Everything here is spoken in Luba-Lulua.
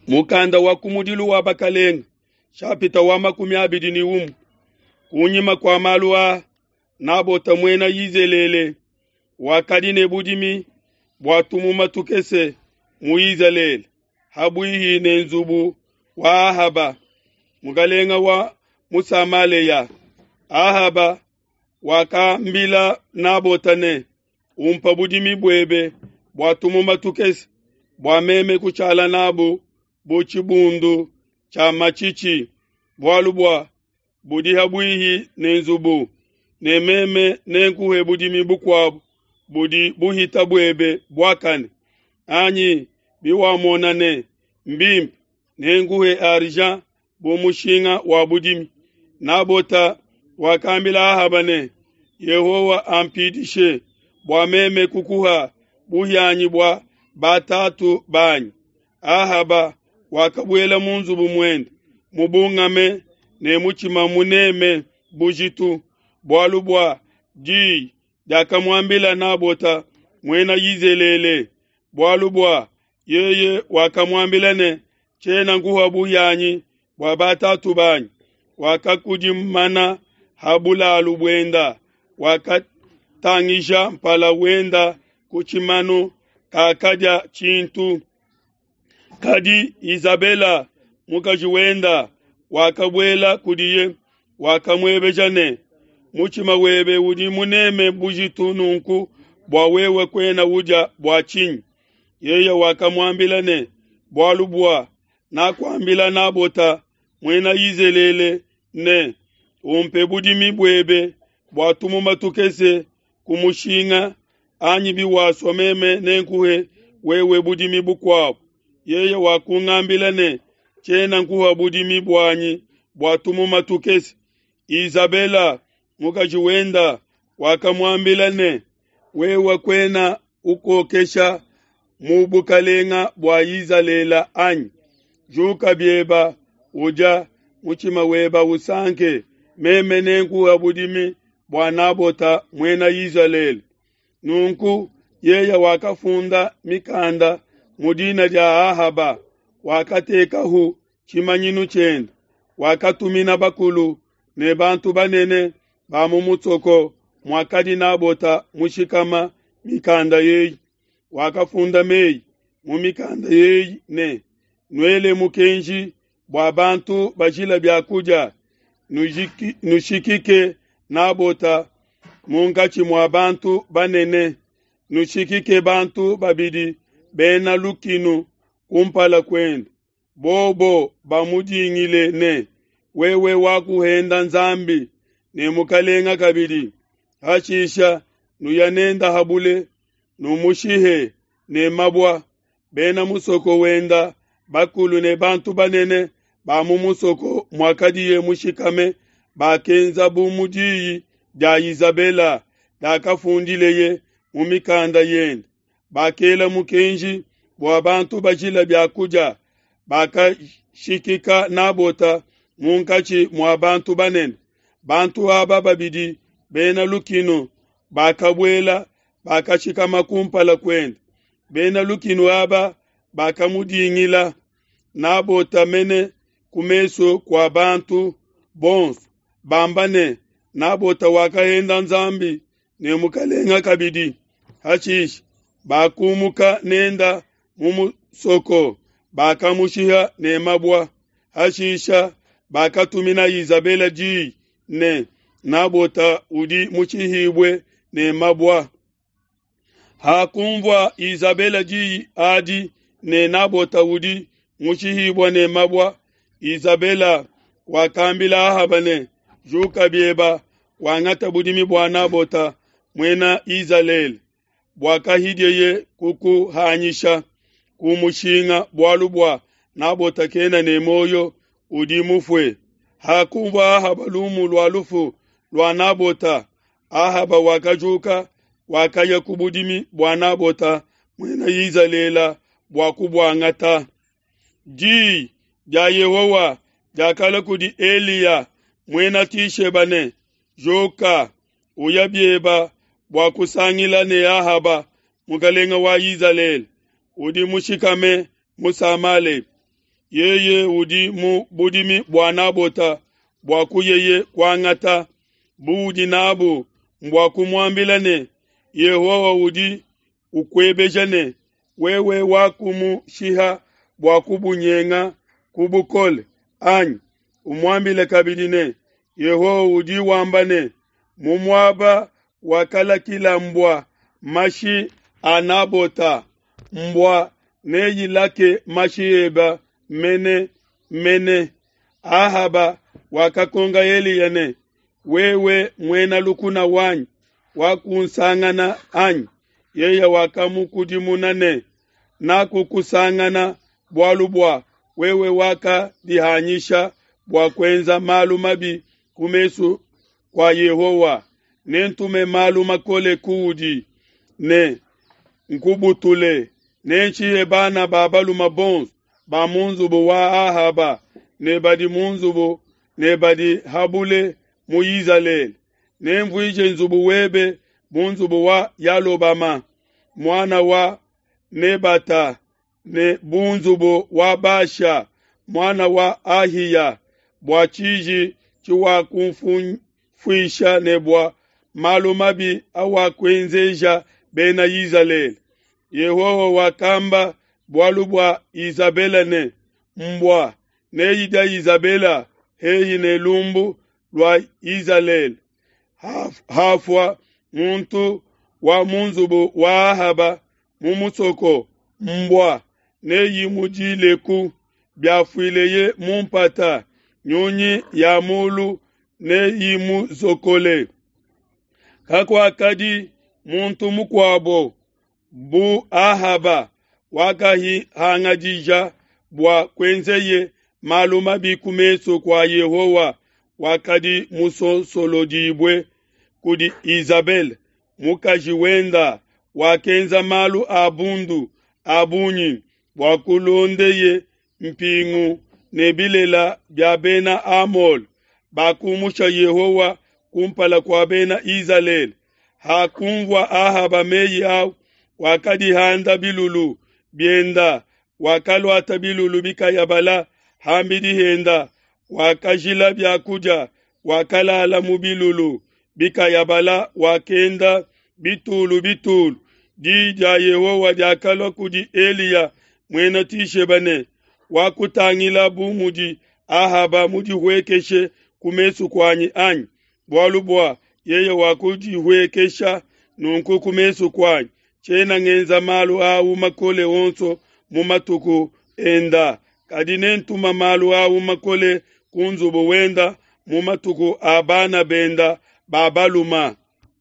Mukanda wa kumudilu wa Bakelenge, shapita wa 21. Kunyima kua malu aa, Nabota muena Yizelele wakadi ne budimi bua tumuma tukese mu Izalele, habuihi ne nzubu wa Ahaba, mukalenga wa mu Samaleya. Ahaba wakambila Nabota ne, Umpa budimi buebe bua tumuma tukese, bua meme kushala nabu bu tshibundu tshia matshitshi, bualu bua budi habuihi ne nzubu, ne meme nenkuhe budimi bukuabu budi buhita buebe buakane. Anyi biwamona ne, mbimpe, nenkuhe argent bu mushinga wa budimi. Nabota wakambila Ahaba ne, Yehowa ampidishe bua meme kukuha buhianyi bua batatu banyi. Ahaba wakabuela mu nzubu muende mubungame ne mutshima muneme bujitu, bualu bua diyi diakamuambila Nabota muena Yizelele, bualu bua yeye wakamuambila ne, Tshiena nkuha buhianyi bua batatu banyi. Wakakudimana ha bulalu buenda, wakatangija mpala wenda ku tshimanu, kakadia tshintu. Kadi Izabela mukaji wenda wakabuela kudiye, wakamuebeja ne, Mutshima webe udi muneme bujitu nunku bua wewe kuena udia bua tshinyi? Yeye wakamuambila ne, Bualu bua nakuambila Nabota muena Yizelele ne, Umpe budimi buebe bua tumuma tukese ku mushinga, anyi biwasua meme nenkuhe wewe budimi bukuabu. Yeye wakungambila ne, Tshiena nkuha budimi buanyi bua tumuma tukese. Izabela mukaji wenda wakamuambila ne, Wewe kuena ukokesha mu bukalenga bua Izalele anyi? Juka bieba, udia, mutshima weba usanke, meme nenkuha budimi bua Nabota muena Izalele. Nunku yeye wakafunda mikanda mu dina dia Ahaba, wakatekahu tshimanyinu tshiende, wakatumina bakulu ne bantu banene ba mu musoko muakadi Nabota mushikama mikanda eyi. Wakafunda mei mu mikanda eyi ne, Nuele mukenji bua bantu bajila bia kudia, nushikike Nabota munkatshi mua bantu banene, nushikike bantu babidi bena lukinu kumpala kuende, bobo bamudingile ne, Wewe wakuhenda Nzambi ne mukalenga kabidi. Hashisha nuya nenda habule, numushihe ne mabua. Bena musoko wenda, bakulu ne bantu banene ba mu musoko muakadiye mushikame bakenza bu mu diyi dia Izabela diakafundileye mu mikanda yende. Bakela mukenji bua bantu bajila bia kudia, bakashikika Nabota munkatshi mua bantu banene. Bantu aba babidi bena lukinu bakabuela, bakashikama kumpala kuende. Bena lukinu aba bakamudingila Nabota mene ku mesu kua bantu bonso, bamba ne, Nabota wakahenda Nzambi ne mukalenga kabidi. Hashishe bakumuka nenda mu musoko, bakamushiha ne mabua. Hashisha bakatumina Izabela diyi ne, Nabota udi mushihibue ne mabua. Hakunvua Izabela diyi adi ne Nabota udi mushihibue ne mabua, Izabela wakambila Ahaba ne, Juka bieba, wangata budimi bua Nabota muena Izalele, buakahidieye kukuhanyisha ku mushinga, bualu bua Nabota kena ne muoyo, udi mufue. Hakunvua Ahaba lumu lua lufu lua Nabota, Ahaba wakajuka, wakaya ku budimi bua Nabota muena Izalele bua kubuangata. Diyi dia Yehowa diakalua kudi Eliya muena Tisheba ne, Juka, uya bieba bua kusangila ne Ahaba mukalenga wa Izalele, udi mushikame mu Samale. Yeye udi mu budimi bua Nabota bua kuyeye kuangata buudi nabu mbua kumuambila ne, Yehowa udi ukuebeja ne, Wewe wakumushiha bua kubunyenga ku bukole, anyi? Umuambile kabidi ne, Yehowa udi wamba ne, Mu muaba wakalakila mbua mashi a Nabota, mbua neyilake mashi ebe mene mene. Ahaba wakakonka Eliya ne, Wewe muena lukuna wanyi, wakunsangana anyi? Yeye wakamukudimuna ne, Nakukusangana bualu bua wewe wakadihanyisha bua kuenza malu mabi ku mesu kua Yehowa. Nentume malu makole kuudi ne nkubutule. Nenshihe bana ba balume bonso ba mu nzubu wa Ahaba ne badi mu nzubu ne badi ha bule mu Izalele. Nenvuije nzubu webe bu nzubu wa Yalobama, muana wa Nebata, ne bu nzubu wa Basha, muana wa Ahiya, bua tshiji tshiwakunfuisha ne bua malu mabi awakuenzeja Bena Izalele. Yehowa wakamba bualu bua Izabela ne, Mbua neyidia Izabela hehi ne lumbu lua Izalele. Hafua muntu wa mu nzubu wa Ahaba mu musoko, mbua neyimudileku. Biafuileye mu mpata, nyunyi ya mulu neyimuzokole. Kakuakadi muntu mukuabo bu Ahaba wakahangadija bua kuenzeye malu mabi ku mesu kua Yehowa, wakadi musonsolodibue kudi Izabele mukaji wenda, wakenza malu a bundu a bungi bua kulondeye mpingu ne bilela bia Bena Amole, bakumusha Yehowa kumpala kua Bena Izalele. Hakunvua Ahaba meyi au, wakadihanda bilulu bienda, wakaluata bilulu bikayabala ham'bidi henda, wakajila bia kudia, wakalala mu bilulu bikayabala, wakenda bitulu bitulu. Di dia Yehowa diakalua kudi Eliya muena Tisheba ne, Wakutangila bu mudi Ahaba mudihuekeshe ku mesu kuanyi, anyi? Bualu bua yeye wakudihuekesha nunku ku mesu kuanyi, tshiena ngenza malu au makole onso mu matuku enda, kadi nentuma malu au makole ku nzubu wenda mu matuku a bana benda ba baluma.